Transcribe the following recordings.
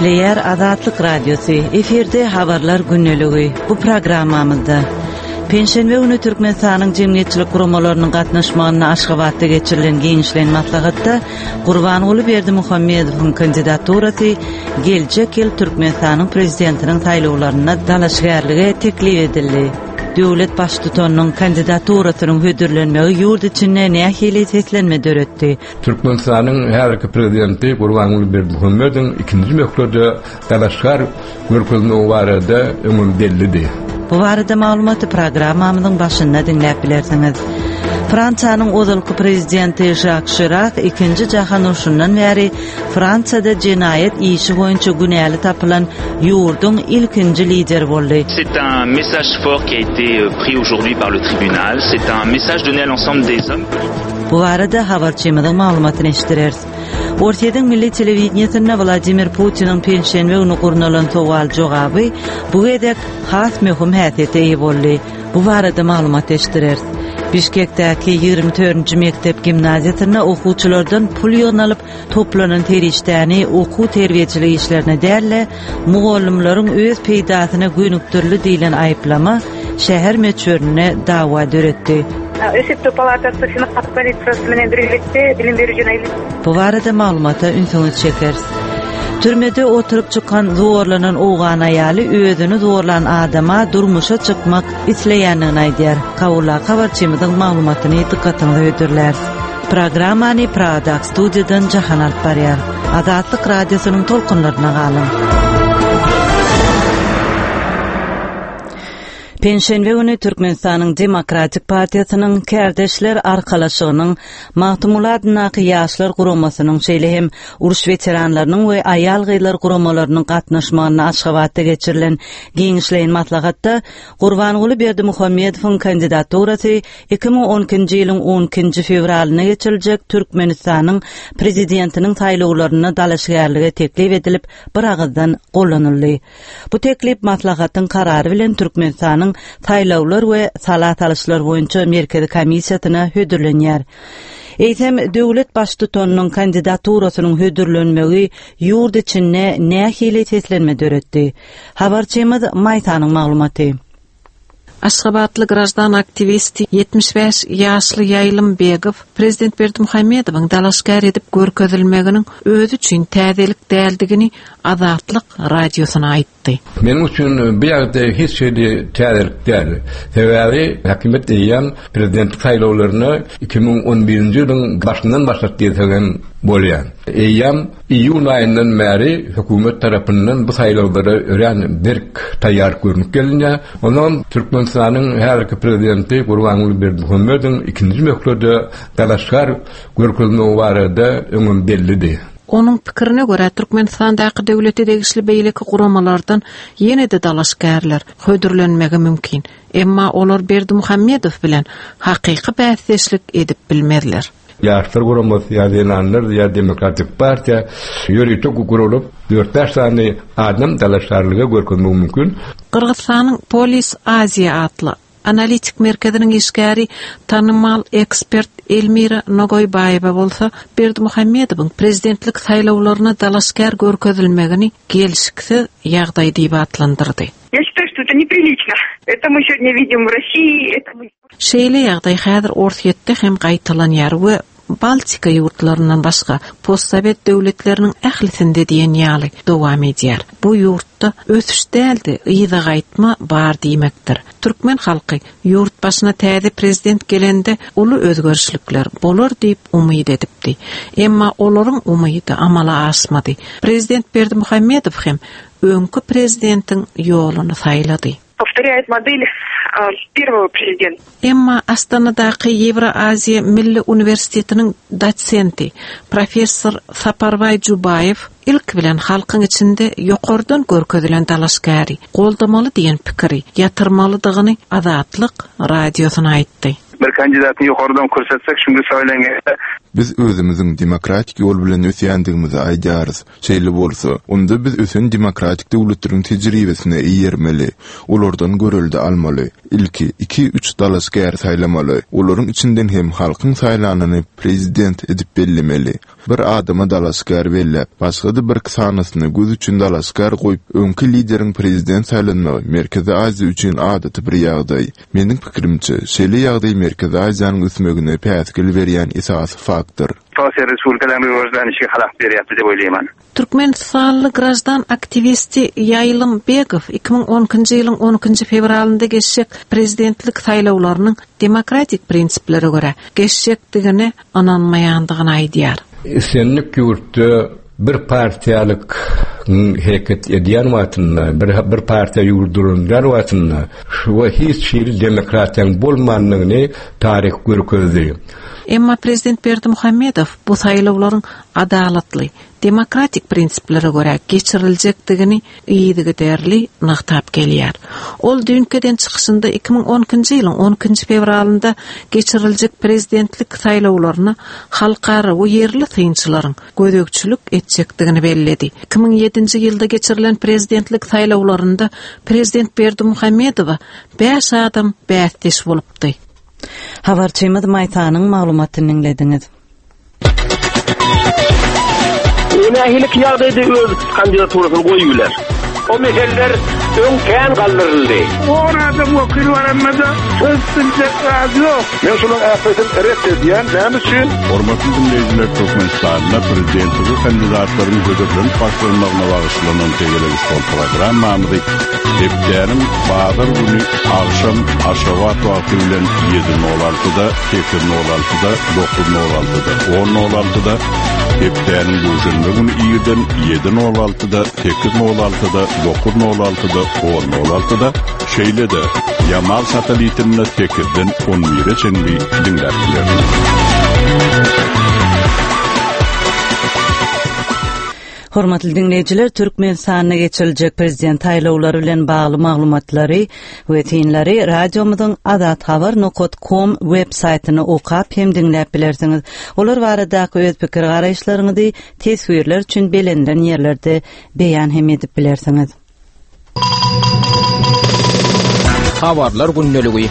Gepleýär Azatlyk Radiosy, efirde Habarlar gündeligi. Bu programmamyzda Penşenbe güni Türkmenistanyň jemgyýetçilik guramalarynyň gatnaşmagynda Aşgabatda geçirilen giňişleýin maslahatda Gurbanguly Berdimuhamedowyň kandidaturasy geljek ýyl Türkmenistanyň Prezidentiniň saýlawlarynda dalaşgärlige teklip edildi. Döwlet Baştutanynyň kandidaturasynyň hödürlenmegi ýurt içinde nähili seslenme döretdi? Türkmenistanyň häzirki Prezidenti Gurbanguly Berdimuhamedowyň ikinji möhlede dalaşgär görkezmegi barada öňem bellidi. Bu barada maglumaty programmamyzyň başynda diňläp bilersiňiz. Fransiýanyň ozalky prezidenti Žak Şirak ikinji jahan urşundan bäri Fransiýada jenaýat işi boýunça günäli tapylan ýurduň ilkinji lideri boldy. C'est un message fort qui a été euh, pris aujourd'hui par le tribunal. C'est un message donné à l'ensemble des hommes politiques. Bu barada habarçymyzyň maglumatyny eşitdireris. Orsýetiň milli telewideniýesinde Wladimir Putiniň penşenbe güni gurnalan sowal-jogaby bu gezek has möhüm häsiýete eýe boldy. Bu barada maglumat eşitdireris. Bişkekdäki 24-nji mekdep gimnaziýasynda okuwçylardan pul ýygnalyp, toplanan serişdäni okuw-terbiýeçilik işlerine däl-de, mugallymlaryň öz peýdasyna gönükdirildi diýlen aýyplama şäher möçberinde dawa döretdi. Esepleu palatasy Senat polisiýasy bilen birlikde bilim beriji Bu barada maglumata ünsüňizi çekeris. Türmede oturyp çykan zorlanan owgan aýaly özüni zorlan adama durmuşa çykmak isleýändigini aýdýar. Kabuldaky habarçymyzyň maglumatyny dykgatyňyza hödürläris. Programmany Pragadaky studiýadan Jahan alyp barýar. Azatlyk Radiosynyň tolkunlaryna galyň. Penşenbe güni Türkmenistanyň Demokratik partiýasynyň Kärdeşler arkalaşygynyň Magtymguly adyndaky Ýaşlar guramasynyň, şeýle hem uruş weteranlarynyň we aýal-gyzlar guramalarynyň gatnaşmagynda Aşgabatda geçirilen giňişleýin maslahatda Gurbanguly Berdimuhamedowyň kandidaturasy 2012-nji ýylyň on ikinji fewralynda geçiriljek Türkmenistanyň Prezidentiniň saýlawlarynda dalaşgärlige teklip edilip, biragyzdan gollanyldy. Bu teklip maslahatyň karary bilen Türkmenistanyň Saýlawlar we sala salyşlar boýunça Merkezi komissiýasyna hödürlenýär. Eýsem, döwlet Baştutanynyň kandidaturasynyň hödürlenmegi ýurt içinde nähili seslenme döretdi? Habarçymyz Maýsanyň maglumaty. Aşgabatly graždan aktiwisti, 75 ýaşly Ýaýlym Begow prezident Berdimuhamedowyň dalaşgär edip görkezilmeginiň özi üçin täzelik däldigini Azatlyk Radiosyna aýtdy. Meniň üçin bu ýagdaý hiç hili täzelik däl. Sebäbi hökümet eýýäm prezidentlik saýlawlaryna 2011-nji ýylyň başyndan başlady diýsek hem bolýar. Eýýäm Iýun aýyndan bäri hökümet tarapyndan bu saýlawlara örän berk taýýarlyk görnüp gelinýär. Ondan Türkmenistanyň häzirki prezidenti Gurbanguly Berdimuhamedowyň ikinji möhlede dalaşgär görkezmegi barada öňem bellidi. Onuň pikirine görä, Türkmenistandaky döwlete degişli beýleki guramalardan ýene-de dalaşgärler hödürlenmegi mümkin. Emma olar Berdimuhamedow bilen hakyky bäsdeşlik edip bilmezler. Ýaşlar guramasy ýa zenanlar ýa Demokratik partiýa ýörite guralyp, dört-bäş sany adam dalaşgärlige görkezmegi mümkin. Gyrgyzystanyň Polis Aziýa atly analitik merkeziniň işgäri, tanymal ekspert Elmira Nogoýbaýewa bolsa Berdimuhamedowyň prezidentlik saýlawlaryna dalaşgär görkezilmegini gelşiksiz ýagdaý diýip atlandyrdy. Ýa şitaýu, şto eto nepriliçno. Eto my segodnýa widim w Rossiýi, eto my. Şeýle ýagdaý häzir Orsýetde hem gaýtalanýar we Baltika ýurtlaryndan başga postsowet döwletleriniň ählisinde diýen ýaly dowam edýär. Bu ýurtda ösüş däl-de, yza gaýtma bar diýmekdir. Türkmen halky ýurt başyna täze prezident gelende uly özgerişlikler bolar diýip umyt edipdi. Emma olaryň umydy amala aşmady. Prezident Berdimuhamedow hem öňki prezidentiň ýoluny saýlady. Powtorýaýt model perwogo prezidenta. Emma Astanadaky Ýewroaziýa milli uniwersitetiniň dosenti, professor Saparbaý Jubaýew ilki bilen halkyň içinde ýokardan görkezilen dalaşgäri goldamaly diýen pikiri ýatyrmalydygyny Azatlyk Radiosyna aýtdy. Bir kandidatyny ýokardan körsetsek, şunda saýlanganda. Biz özümiziň demokratik ýol bilen ösýändigimizi aýdýarys. Şeýle bolsa, onda biz ösen demokratik döwletleriň tejribesine eýermeli, olardan görelde almaly. Ilki iki-üç dalaşgäri saýlamaly, olaryň içinden hem halkyň saýlanyny prezident edip bellemeli. Bir adama dalaşgär belläp, başga-da birki sanysyny göz üçin dalaşgär goýup, öňki lideriň prezident saýlanmagy Merkezi Aziýa üçin adaty bir ýagdaý. Meniň pikirimçe, şeýle ýagdaý Merkezi Aziýanyň ösmegine päsgel berýän esasy faktor. Sosial respublikalaryň röwejlenişi halap berýär diýip oýlaýman. Türkmenistanly graždan aktiwisti Ýaýlym Begow 2012-nji ýylyň on ikinji fewralynda geçjek prezidentlik saýlawlarynyň demokratik prinsiplere görä geçjekdigine ynanmaýandygyny aýdýar. Islendik ýurtda bir partiýalyk hereket edýän wagtynda, bir bir partiýa ýurt dolandyrýan wagtynda şu hiç hili demokratiýanyň bolmandygyny taryh görkezdi. Emma prezident Berdimuhamedow bu saýlawlaryň adalatly, demokratik prinsiplere görä geçiriljekdigini yzygiderli nygtap gelýär. Ol düýnki eden çykyşynda 2012-nji ýylyň on ikinji fewralynda geçiriljek prezidentlik saýlawlaryna halkara we ýerli synçylaryň gözegçilik etjekdigini belledi. 2007-nji ýylda geçirilen prezidentlik saýlawlarynda prezident Berdimuhamedowa bäş adam bäsdeş bolupdy. Habarçymyz Maýsanyň maglumatyny diňlediňiz. O nähili ýagdaýda öz kandidaturasyny goýup biler? O meseleler öň kän galdyryldy. On adam wekil baranda-da söz biljek zady ýok. Men şolaryň ählisini ret edýän. Näme üçin? Hormatly diňleýjiler Türkmenistanda prezidentlige kandidatlaryň hödürlenip başlanmagyna bagyşlanan tegelek stol programmamyzy hepdäniň bazar güni agşam Aşgabat wagty bilen ýedi nol altyda, sekiz nol altyda, dokuz nol altyda, on nol altyda, hepdäniň duşenbe güni irden ýedi nol altyda, sekiz nol altyda, dokuz nol altyda, on nol altyda, şeýle-de Ýamal satelitinde sekizden on bire çenli diňläp bilersiňiz. Hormatly diňleýjiler, Türkmenistanda geçiriljek prezident saýlawlary bilen bagly maglumatlary we synlary radiomyzyň azathabar nokat kom web saýtyny okap hem diňläp bilersiňiz. Olar baradaky öz pikir garaýyşlaryňyzy teswirler üçin belenilen ýerlerde beýan hem edip bilersiňiz. Habarlar gündeligi.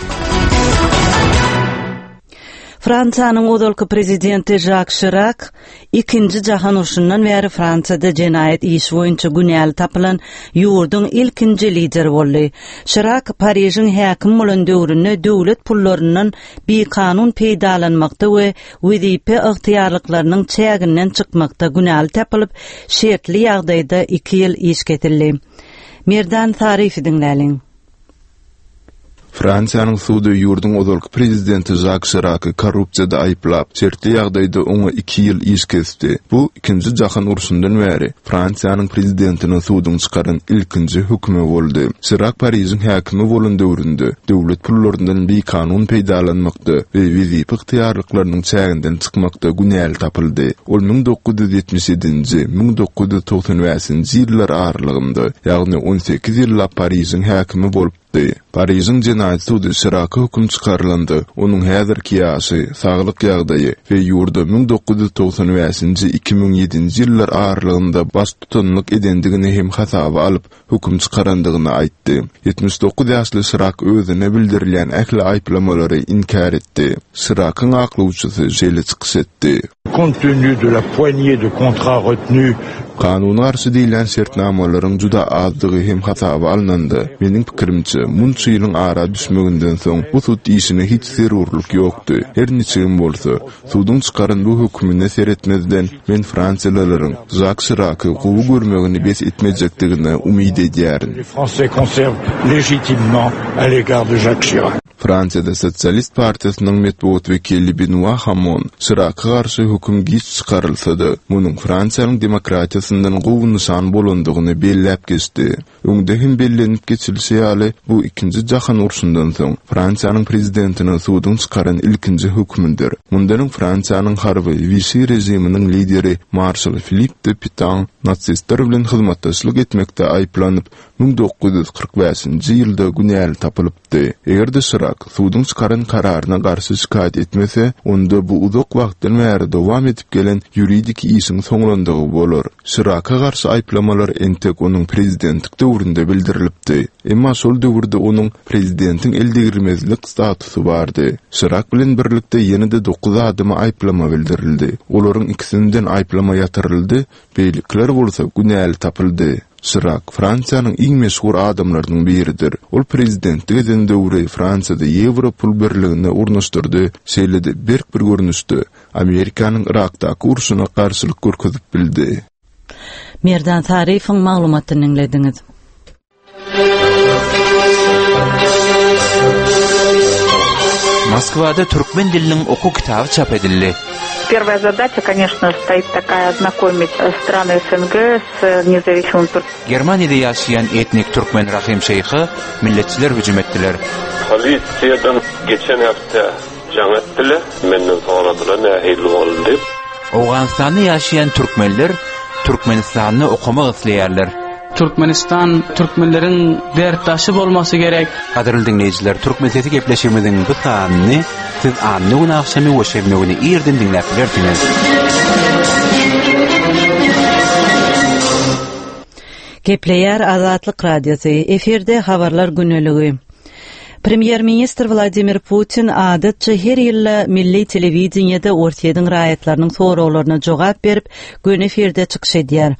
Fransiýanyň ozalky prezidenti Žak Şirak Ikinji jahan urşundan bäri Fransiýada jenaýat işi boýunça günäli tapylan ýurduň ilkinji lideri boldy. Şirak Parižiň häkimi bolan döwründe döwlet pullaryndan bikanun peýdalanmakda we wezipe ygtyýarlyklarynyň çäginden çykmakda günäli tapylyp, şertli ýagdaýda iki ýyl iş kesildi. Merdan Saryýewi diňläliň. Fransiýanyň sudy ýurduň ozalky prezidenti Žak Şiraky korrupsiýada aýyplap, şertli ýagdaýda oňa iki ýyl iş kesdi. Bu, Ikinji jahan urşundan bäri Fransiýanyň prezidentine suduň çykaran ilkinji hökümi boldy. Şirak Parižiň häkimi bolan döwründe döwlet pullaryndan bikanun peýdalanmakda we wezipe ygtyýarlyklarynyň çäginden çykmakda günäli tapyldy. Ol 1977-nji, 1995-nji ýyllar aralygynda, ýagny 18 ýyllap Parižiň häkimi bolupdy. Parižiň jenaýat sudy Şiraka höküm çykarylanda, onuň häzirki ýaşy, saglyk ýagdaýy we ýurda 1995-nji, 2007-nji ýyllar aralygynda baştutanlyk edendigini hem hasaba alyp, höküm çykarandygyny aýtdy. 79 ýaşly Şirak özüne bildirilýän ähli aýyplamalary inkär etdi. Şirakyň aklawçysy şeýle çykyş etdi. Compte tenu de la poignée de contrats retenus. Kanuna garşy diýilýän şertnamalaryň juda azdygy hem hasaba alnanda, meniň pikirimçe, munça ýylyň ara düşmeginden soň bu sud işine hiç zerurlyk ýokdy. Her niçigem bolsa, Suduň çykaran bu hökümine seretmezden, men fransiýalylaryň Žak Şiraky gowy görmegini bes etmejekdigine umyt edýärin. Fransiýada Sosialist partiýasynyň metbugat wekili Benua Hamon Şiraka garşy höküm giç çykarylsa-da, munuň Fransiýanyň demokratiýasyndan gowy nyşan bolandygyny belläp geçdi. Öňde hem bellenip geçilişi ýaly, bu Ikinji jahan urşundan soň, Fransiýanyň prezidentine suduň çykaran ilkinji hökümidir. Mundan öň Fransiýanyň harby Wişi režiminiň lideri marşal Filipp de Pitan nasistler bilen hyzmatdaşlyk etmekde aýyplanyp, 1945-nji ýylda günäli tapylypdy. Eger-de Şirak suduň çykaran kararyna garşy şikaýat etmese, onda bu uzak wagtdan bäri dowam edip gelen ýuridiki işiň soňlandygy bolar. Şiraka garşy aýyplamalar entek onuň prezidentlik döwründe bildirilipdi. Emma şol döwürde onuň prezidentiň eldegrilmezlik statusy bardy. Şirak bilen birlikde ýene-de dokuz adama aýyplama bildirildi. Olaryň ikisinden aýyplama ýatyryldy, beýlekiler bolsa günäli tapyldy. Şirak Fransiýanyň iň meşhur adamlarynyň biridir. Ol prezidentlik eden döwri Fransiýada ýewro pul birligini ornaşdyrdy, şeýle-de berk bir görnüşde Amerikanyň Yrakdaky urşuna garşylyk görkezip bildi. Merdan Saryýewiň maglumatyny diňlediňiz. Moskwada türkmen diliniň okuw kitaby çap edildi. Первая задача, конечно, стоит такая ознакомить страны СНГ с независимым Germaniýada ýaşaýan etnik türkmen Rahym Şeýha milletçiler hüjüm etdiler. Polisiýadan geçen hepde jaň etdiler, menden soradylar nähili boldy diýip. Owganystanda ýaşaýan türkmenler Türkmenistanda okamak isleýärler. Türkmenistan türkmenleriň dertdaşy bolmasy gerek. Gadyrly diňleýjiler, Türkmen sesi gepleşigimiziň bu sanyny siz anna güni agşamy we şenbe güni irden diňläp bilersiňiz. Gepleýär Azatlyk Radiosy, efirde Habarlar güneligi. Premýer-ministr Wladimir Putin adatça her ýylda milli telewideniýede Orsýetiň raýatlarynyň soraglaryna jogap berip, göni efirde çykyş edýär.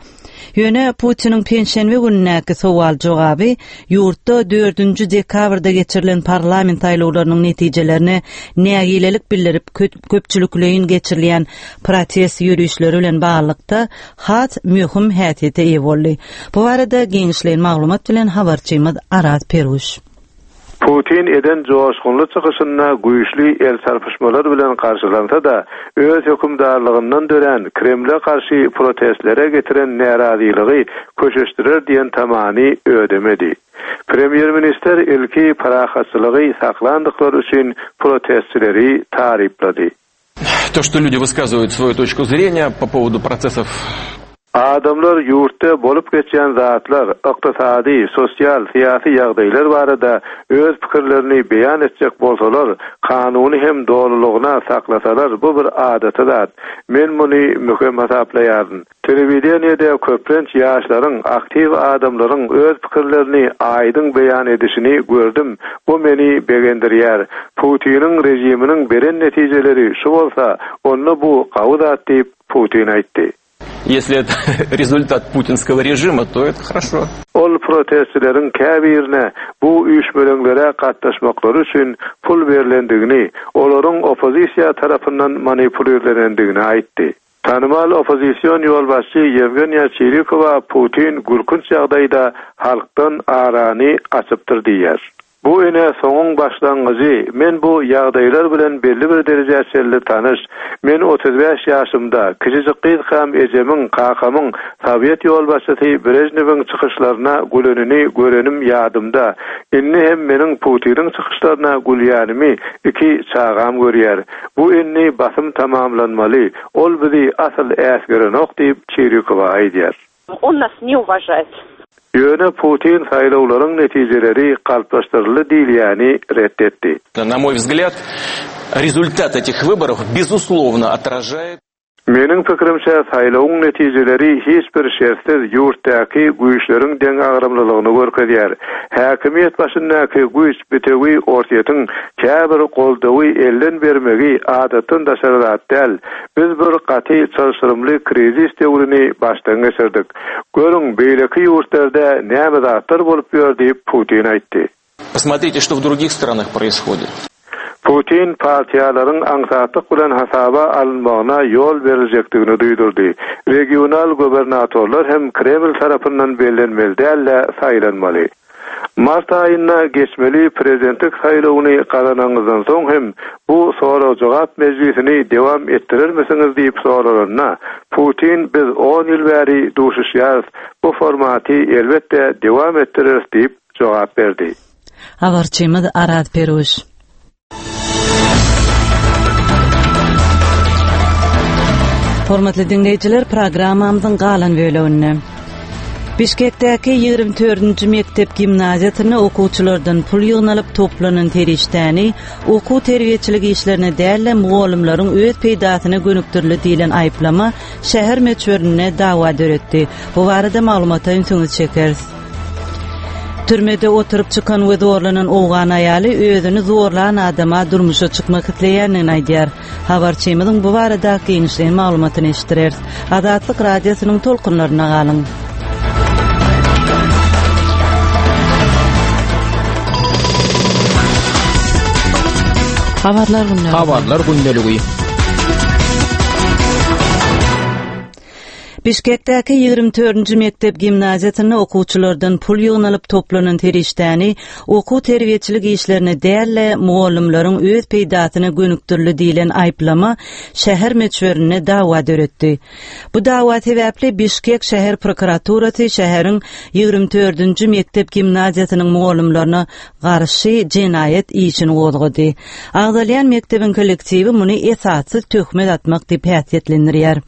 Ýöne Putiniň penşenbe günündäki sowal-jogaby ýurtda dördünji dekabrda geçirilen parlament saýlawlarynyň netijelerine nägilelik bildirip köpçülikleýin geçirilýän protest ýörişleri bilen baglylykda has möhüm häsiýete eýe boldy. Bu barada giňişleýin maglumat bilen habarçymyz Araz Perwüş. Putin eden joşgunly çykyşynda güýçli el çarpyşmalar bilen garşylansa-da, öz hökümdarlygyndan dörän Kremle garşy protestlere getiren närazylygy köşeşdirer diýen tamany ödemedi. Premýer-ministr ilki parahatçylygy saklandyklary üçin protestçileri taryplady. To, что люди высказывают свою точку зрения по поводу процессов Adamlar ýurtda bolup geçýän zatlar, ykdysady, sosial, syýasy ýagdaýlar barada öz pikirlerini beýan etjek bolsalar, kanuny hem dolulygyna saklasalar bu bir adaty zat. Men muny möhüm hasaplaýaryn. Telewideniýede köplenç ýaşlaryň, aktiw adamlaryň öz pikirlerini aýdyň beýan edişini gördüm, bu meni begendirýär. Putiniň režiminiň beren netijeleri şu bolsa, onda bu gawy zat diýip, Putin aýtdy. Ýesli eto rezultat putinskogo režima, to eto horoşo. Ol protestçileriň käbirine bu üýşmeleňlere gatnaşmaklary üçin pul berlendigini, olaryň oppozisiýa tarapyndan manipulirlenendigini aýtdy. Tanymal oppozision ýolbaşçy Ýewgeniýa Çirikowa Putin gülkünç ýagdaýda halkdan arany açypdyr diýýär. Bu ine soňuň başlangyjy, men bu ýagdaýlar bilen belli bir derejä çenli tanyş. Men 35 ýaşymda, kiçijik gyzkam ejemiň, kakamyň sowet ýolbaşçysy Brežnewiň çykyşlaryna gülenini görenim ýadymda. Indi hem meniň Putiniň çykyşlaryna gülýänimi iki çagam görýär. Bu indi basym tamamlanmaly, ol bizi asyl äsgerenok diýip, Çirikowa aýdýar. On nas ne uwažaet. Ýöne Putin saýlawlaryň netijeleri galplaşdyryldy diýilýäni ret etdi. Na moý wzglýad, rezultat etih wyborów bezusłowno otražaet. Meniň pikirimçe, saýlawyň netijeleri hiç bir şertsiz ýurtdaky güýçleriň deňagramlylygyny görkezýär. Häkimiýet başyndaky güýç bitewi Orsýetiň käbir goldawy elden bermegi adatdan daşary zat däl. Biz bir gaty çylşyrymly krizis döwrüni başdan geçirdik. Görüň, beýleki ýurtlarda näme zatlar bolup ýör diýip, Putin aýtdy. Posmotrite, što w drugih stranah proishodit. Putin partiýalaryň aňsatlyk bilen hasaba alynmagyna ýol beriljekdigini duýdurdy. Regional gubernatorlar hem Kreml tarapyndan bellenmeli däl-de, saýlanmaly. Mart aýynda geçmeli prezidentlik saýlawyny gazananyňyzdan soň hem bu sorag-jogap mejlisini dewam etdirermisiňiz diýip soralanda, Putin biz on ýyl bäri duşuşýarys, bu formaty elbetde dewam etdireris diýip jogap berdi. Habarçymyz Araz Peruş. Hormatly diňleýjiler, programmamyzyň galan böleginde. Bişkekdäki 24-nji mekdep gimnaziýasynda okuwçylardan pul ýygnalyp toplanan serişdäni okuw-terbiýeçilik işlerine däl-de, mugallymlaryň öz peýdasyna gönükdirildi diýlen aýyplama şäher möçberinde dawa döretdi. Bu barada maglumata ünsüňizi çekeris. Türmede oturyp çykan we zorlanan owgan aýaly özüni zorlan adama durmuşa çykmak isleýändigini aýdýar. Habarçymyzyň bu barada giňişleýin maglumatyny eşitdireris. Azatlyk Radiosynyň tolkunlarynda galyň. Habarlar gündeligi. Habarlar gündeligi. Bişkekdäki 24-nji mekdep gimnaziýasynda okuwçylardan pul ýygnalyp toplanan serişdäni okuw-terbiýeçilik işlerine däl-de, mugallymlaryň öz peýdasyna gönükdirildi diýlen aýyplama şäher möçberinde dawa döretdi. Bu dawa sebäpli Bişkek şäher prokuraturasy şäheriň 24-nji mekdep gimnaziýasynyň mugallymlaryna garşy jenaýat işini gozgady. Agzalýan mekdebiň kollektiwi muny esassyz töhmet atmak diýip häsiýetlendirýär.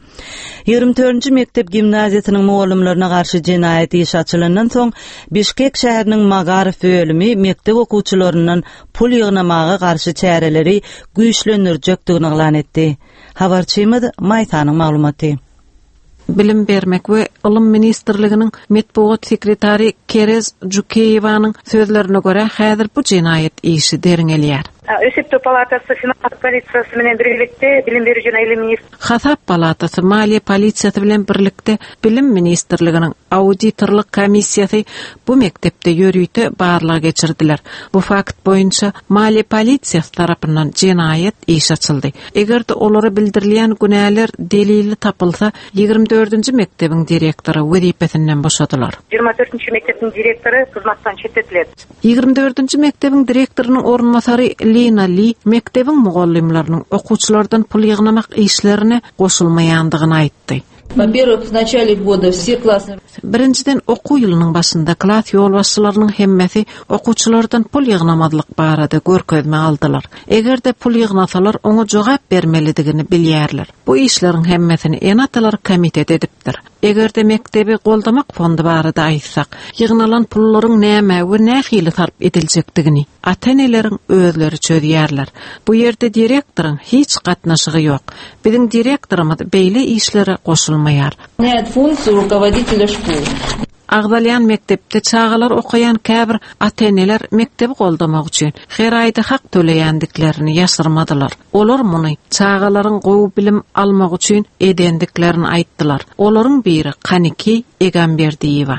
24-nji mekdep gimnaziýasynyň mugallymlaryna garşy jenaýat işi açylandan soň, Bişkek şäheriniň Magaryf bölümi mekdep okuwçylaryndan pul ýygnamaga garşy çäreleri güýçlendirjekdigini yglan etdi. Habarçymyz Maýsanyň maglumaty. Bilim bermek we ylym ministrliginiň metbugat sekretary Kerez Jukeýewanyň sözlerine görä, häzir bu jenaýat işi derňelýär. Esepleu palatasy finans polisiýasy bilen birlikde bilim beriji jana ilim ministr. Hasap palatasy maliýe polisiýasy bilen birlikde Bilim ministrliginiň auditorlyk komissiýasy bu mekdepde ýörite barlag geçirdiler. Bu fakt boýunça maliýe polisiýasy tarapyndan jenaýat işi açyldy. Eger-de olara bildirilýän günäler delilli tapylsa, 24-nji mekdebiň direktory wezipesinden boşadylar. 24-nji mekdebiň direktory hyzmatdan çetletiled. 24-nji mekdebiň direktorynyň orunbasary Lina Li mekdebiň mugallymlarynyň okuwçylardan pul ýygnamak işlerine goşulmaýandygyny aýtdy. Во-первых, в начале года все классные Birinjiden, okuw ýylynyň başynda klas ýolbaşçylarynyň hemmesi okuwçylardan pul ýygnamazlyk barada görkezme aldylar. Eger-de pul ýygnasalar, oňa jogap bermelidigini bilýärler. Bu işleriň hemmesini ene-atalar komiteti edipdir. Eger-de mekdebi goldamak fondy barada aýtsak, ýygnalan pullaryň nämä we nähili sarp ediljekdigini ata-eneleriň özleri çözýärler. Bu ýerde direktoryň hiç gatnaşygy ýok. Biziň direktorymyz beýle işlere goşulmaýar. Выполняет функцию руководителя школы. Agzalýan mekdepde çagalar okaýan käbir ata-eneler mekdebi goldamak üçin her aýda hak töleýändiklerini ýaşyrmadylar. Olar muny çagalaryň gowy bilim almagy üçin edendiklerini aýtdylar. Olaryň biri Kaniki Egamberdiýewa.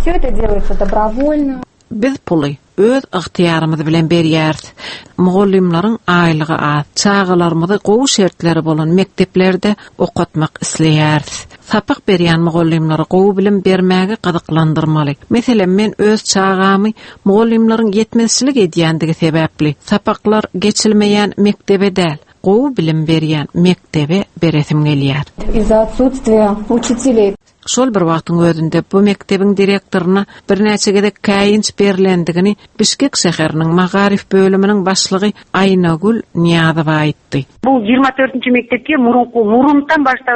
Все это делается добровольно. Biz puly öz ygtyýarymyz bilen berýäris. Mugallymlaryň aýlygy az. Çagalarymyzy gowy şertleri bolan mekdeplerde okatmak isleýäris. Sapak berýän mugallymlary gowy bilim bermäge gyzyklandyrmaly. Meselem, men öz çagamy mugallymlaryň ýetmezçilik edýändigi sebäpli sapaklar geçilmeýän mekdebe däl, gowy bilim berýän mekdebe beresim gelýär. Из-за отсутствия учителей. Şol bir wagtyň özünde bu mekdebiň direktoryna birnäçe gezek käýinç berlendigini Bişkek şäheriniň magaryf bölüminiň başlygy Aýnagül Nyýazowa aýtdy. Bu 24-nji mekdepge murundan başda.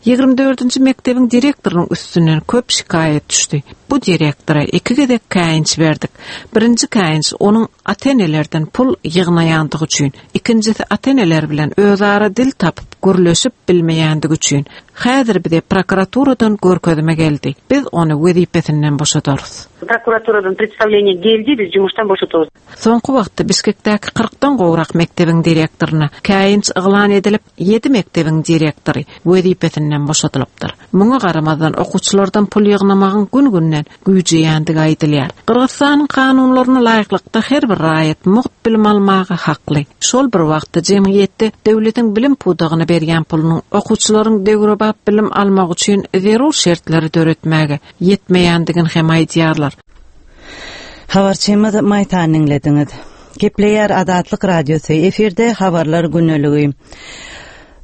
24-nji mekdebiň direktorynyň üstünden köp şikaýat düşdi. Bu direktora iki gezek käýinç berdik. Birinji käýinç onuň ata-enelerden pul ýygnaýandygy üçin, ikinjisi ata-eneler bilen özara dil tapyp gürleşip bilmeýändigi üçin. Häzir bize prokuraturadan görkezme geldi. Biz ony wezipesinden boşadarys. Prokuraturadan predstawleniýe geldi, biz jumuşdan boşatarys. Soňky wagtda Bişkekdäki kyrkdan gowrak mekdebiň direktoryna käýinç yglan edilip, ýedi mekdebiň direktory wezipesinden boşadylypdyr. Muňa garamazdan, okuwçylardan pul ýygnamagyň gün-günden güýjeýändigi aýdylýar. Gyrgyzystanyň kanunlaryna laýyklykda her bir raýat mugt bilim almaga hakly. Şol bir wagtda jemgyýetde döwletiň bilim pudagyna berýän pulunyň okuwçylaryň döwrebap bilim almagy üçin zerur şertleri döretmäge ýetmeýändigini hem aýdýarlar. Habarçymyz Maýsany diňlediňiz. Gepleýär Azatlyk Radiosy, efirde Habarlar gündeligi.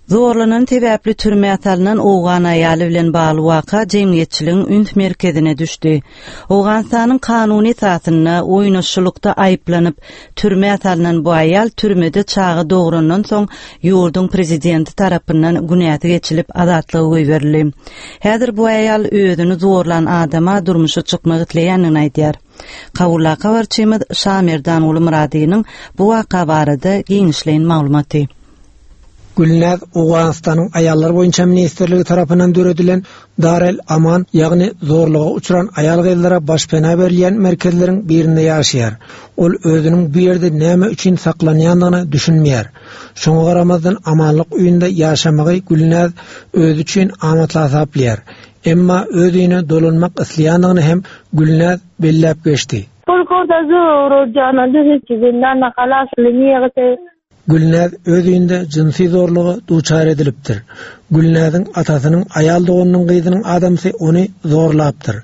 Zorlanan sebäpli türmä salnan owgan aýaly bilen bagly waka jemgyýetçiligiň üns merkezine düşdi. Owganystanyň kanuny esasynda oýnaşçylykda aýyplanyp, türmä salnan bu aýal türmede çaga dograndan soň ýurduň prezidenti tarapyndan günäsi geçilip azatlyga goýberildi. Häzir bu aýal özüni zorlan adama durmuşa çykmak isleýändigini aýdýar. Kabuldaky habarçymyz Şamerdanguly Myradynyň bu waka barada giňişleýin maglumaty. Gülnäz Owganystanyň Aýallar boýunça ministrligi tarapyndan döredilen Dar el Aman, ýagny zorluga uçran aýal-gyzlara başpena berilýän merkezleriň birinde ýaşaýar. Ol özüniň bu ýerde näme üçin saklanýandygyna düşünmeýär. Şoňa garamazdan amanlyk öýünde ýaşamagy Gülnäz özi üçin amatly hasaplaýar. Emma öz öýüne dolanmak isleýändigini hem Gülnäz belläp geçdi. Gülnäz öz öýünde jynsy zorluga duçar edilipdir. Gülnäziň atasynyň aýal doganynyň gyzynyň adamsy ony zorlapdyr.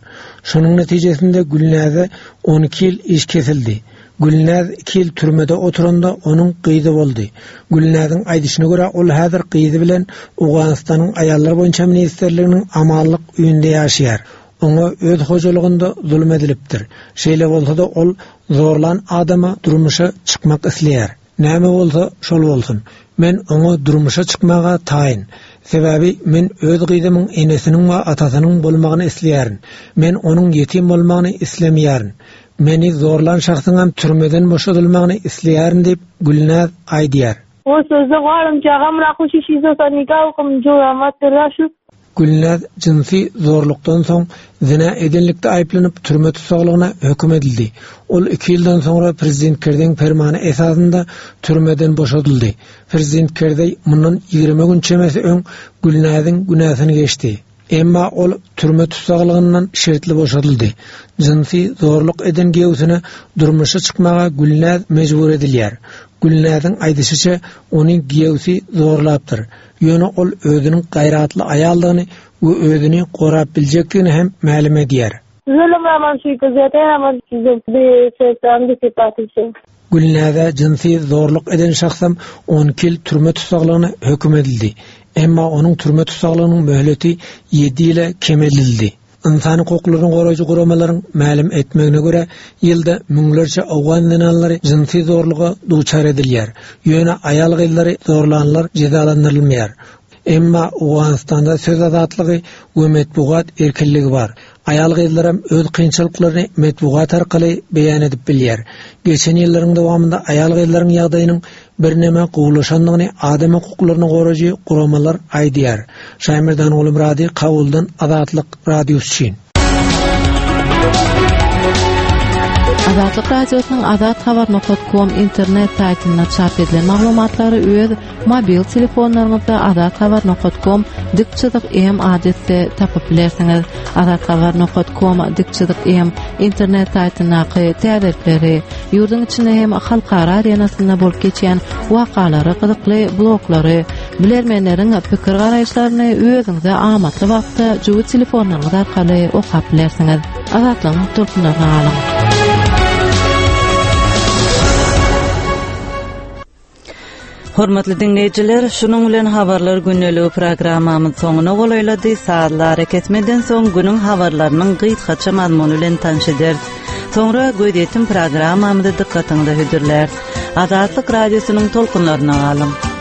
Şonuň netijesinde Gülnäze 12 ýyl iş kesildi. Gülnäz iki ýyl türmede oturanda onuň gyzy boldy. Gülnäziň aýdyşyna görä, ol häzir gyzy bilen Owganystanyň Aýallar boýunça ministrliginiň amanlyk öýünde ýaşaýar. Oňa öz hojalygynda zulum edilipdir. Şeýle bolsa-da ol zorlan adama durmuşa çykmak isleýär. Näme bolsa, şol bolsun. Men oňa durmuşa çykmaga taýyn. Sebäbi men öz gyzymyň enesiniň we atasynyň bolmagyny isleýärin. Men onuň ýetim bolmagyny islemeýärin. Meni zorlan şahsyňam türmeden boşadylmagyny isleýärin diýip, Gülnäz aýdýar. Gülnäz jynsy zorlukdan soň zyna edenlikde aýyplanyp türme tussaglygyna höküm edildi. Ol iki ýyldan soňra prezident Kerzeýiň permany esasynda türmeden boşadyldy. Prezident Kerzeý mundan 20 gün çemesi öň Gülnäziň günäsini geçdi. Emma ol türme tussaglygyndan şertli boşadyldy. Jynsy zorluk eden giýewsine durmuşa çykmaga Gülnäz mejbur edilýär. Gülnäziň aýdyşyça, ony giýewsi zorlapdyr. Ýöne ol özüniň gaýratly aýaldygyny we özüni gorap biljekdigini hem mälim edýär. Gülnäze jynsy zorluk eden şahsam 12 ýyl türme tussaglygyna höküm edildi. Emma onuň türme tussaglygynyň möhleti ýedi ýyla kemeldildi. Ynsan hukuklaryny goraýjy guramalaryň mälim etmegine görä, ýylda müňlerçe owgan zenanlary jynsy zorluga duçar edilýär. Ýöne aýal-gyzlary zorlanlar jezalandyrylmaýar. Emma Owganystanda söz azatlygy we metbugat erkinligi bar. Aýal-gyzlaram öz kynçylyklaryny metbugat arkaly beýan edip bilýär. Geçen ýyllaryň dowamynda aýal-gyzlaryň ýagdaýynyň birneme gowulaşandygyny adam hukuklaryny goraýjy guramalar aýdýar. Şaýmerdan Gulumyrady Kabuldan Azatlyk Radiosy üçin. Azatlyk Radiosynyň Azat Habar nokat kom internet saýtynda çap edilen maglumatlary öz mobil telefonlaryňyzda Azat Habar nokat kom dik çyzyk M adresde tapyp bilersiňiz. Azat Habar nokat kom dik çyzyk M internet saýtyndaky täzelikleri, ýurduň içinde hem halkara arenasynda bolup geçýän wakalary, gyzykly bloglary, bilermenleriň pikir-garaýyşlaryny özüňize amatly wagtda jübi telefonlaryňyz arkaly okap bilersiňiz. Azatlygyň tolkunlaryna galyň. Hormatly diňleýjiler, şunuň bilen habarlar gündeligi programmamyz soňuna golaýlady. Sazly arakesmeden soň günüň habarlarynyň gysgaça mazmuny bilen tanyş ederis. Soňra gözýetim programmamyzy dykgatyňyza hödürläris. Azatlyk radiosynyň tolkunlaryna galyň.